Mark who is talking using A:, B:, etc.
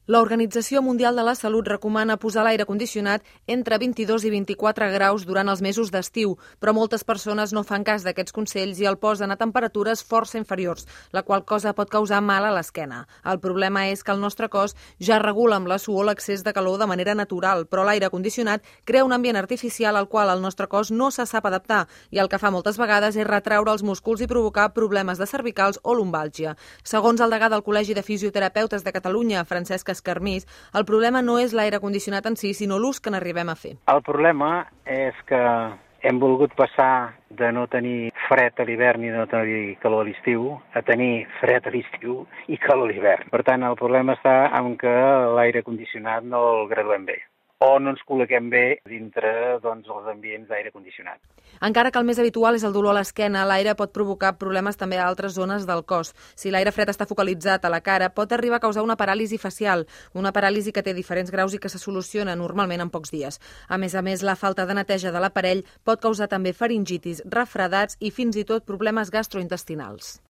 A: L'Organització Mundial de la Salut recomana posar l'aire condicionat entre 22 i 24 graus durant els mesos d'estiu, però moltes persones no fan cas d'aquests consells i el posen a temperatures força inferiors, la qual cosa pot causar mal a l'esquena. El problema és que el nostre cos ja regula amb la suor l'excés de calor de manera natural, però l'aire condicionat crea un ambient artificial al qual el nostre cos no se sap adaptar i el que fa moltes vegades és retraure els músculs i provocar problemes de cervicals o lumbàlgia. Segons el degà del Col·legi de Fisioterapeutes de Catalunya, Francesc Escarmís, el problema no és l'aire condicionat en si, sinó l'ús que n'arribem a fer.
B: El problema és que hem volgut passar de no tenir fred a l'hivern i no tenir calor a l'estiu a tenir fred a l'estiu i calor a l'hivern. Per tant, el problema està en que l'aire condicionat no el graduem bé o no ens col·loquem bé dintre els ambients d'aire condicionat.
A: Encara que el més habitual és el dolor a l'esquena, l'aire pot provocar problemes també a altres zones del cos. Si l'aire fred està focalitzat a la cara, pot arribar a causar una paràlisi facial, una paràlisi que té diferents graus i que se soluciona normalment en pocs dies. A més, la falta de neteja de l'aparell pot causar també faringitis, refredats i fins i tot problemes gastrointestinals.